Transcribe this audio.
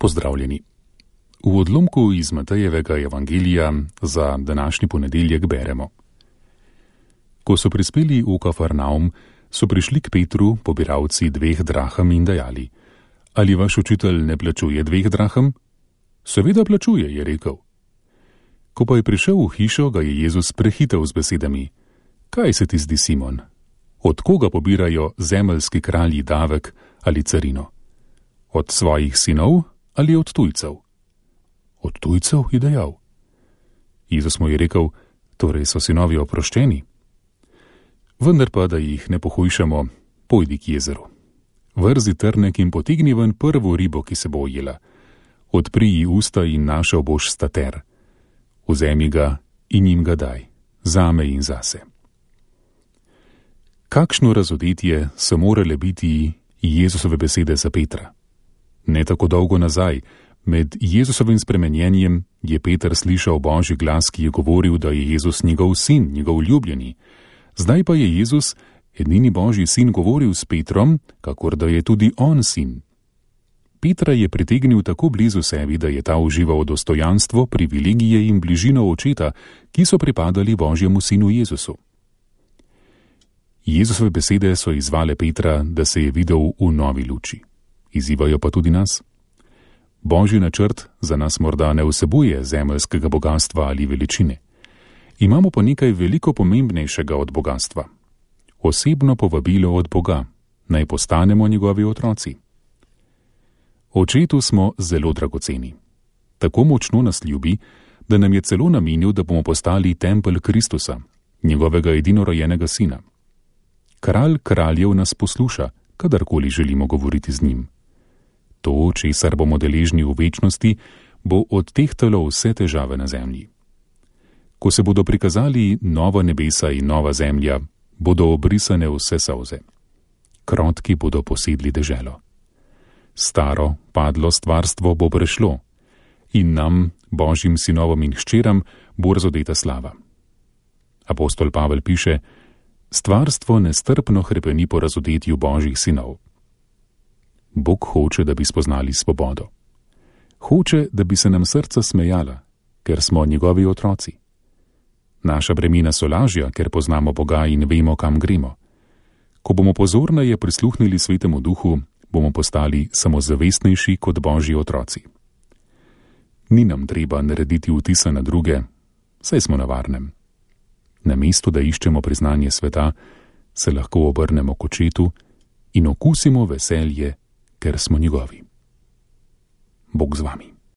Pozdravljeni. V odlomku iz Matejevega evangelija za današnji ponedeljek beremo. Ko so prispeli v Kafarnaum, so prišli k Petru pobiralci 2 draham in dejali: Ali vaš učitelj ne plačuje 2 draham? Seveda plačuje, je rekel. Ko pa je prišel v hišo, ga je Jezus prehitel z besedami: Kaj se ti zdi, Simon? Od koga pobirajo zemeljski kralji davek ali carino? Od svojih sinov ali od tujcev? Od tujcev, je dejal. Jezus mu je rekel: Torej so sinovi oproščeni? Vendar pa, da jih ne pohujšamo, pojdi k jezeru. Vrzi trnek in potegni ven prvo ribo, ki se bo ujela. Odpri ji usta in našel boš stater. Vzemi ga in jim ga daj, zame in zase. Kakšno razodetje so morale biti Jezusove besede za Petra? Ne tako dolgo nazaj, med Jezusovim spremenjenjem, je Peter slišal Božji glas, ki je govoril, da je Jezus njegov sin, njegov ljubljeni. Zdaj pa je Jezus, edini Božji sin, govoril s Petrom, kakor da je tudi on sin. Petra je pritegnil tako blizu sebi, da je ta užival dostojanstvo, privilegije in bližino očeta, ki so pripadali Božjemu sinu Jezusu. Jezusove besede so izzvale Petra, da se je videl v novi luči. Izzivajo pa tudi nas. Božji načrt za nas morda ne vsebuje zemeljskega bogastva ali veličine. Imamo pa nekaj veliko pomembnejšega od bogastva. Osebno povabilo od Boga, naj postanemo njegovi otroci. Očetu smo zelo dragoceni. Tako močno nas ljubi, da nam je celo namenil, da bomo postali tempelj Kristusa, njegovega edinorojenega sina. Kralj kraljev nas posluša, kadarkoli želimo govoriti z njim. To, česar bomo deležni v večnosti, bo odtehtalo vse težave na zemlji. Ko se bodo prikazali nova nebesa in nova zemlja, bodo obrisane vse solze. Krotki bodo posedli deželo. Staro, padlo stvarstvo bo prešlo in nam, Božjim sinovom in hčeram, bo razodeta slava. Apostol Pavel piše: Stvarstvo nestrpno hrepeni po razodetju Božjih sinov. Bog hoče, da bi spoznali svobodo. Hoče, da bi se nam srca smejala, ker smo njegovi otroci. Naša bremena so lažja, ker poznamo Boga in vemo, kam gremo. Ko bomo pozorneje prisluhnili Svetemu Duhu, bomo postali samozavestnejši kot Božji otroci. Ni nam treba narediti vtisa na druge, saj smo na varnem. Namesto da iščemo priznanje sveta, se lahko obrnemo k očetu in okusimo veselje, ker smo njegovi. Bog z vami.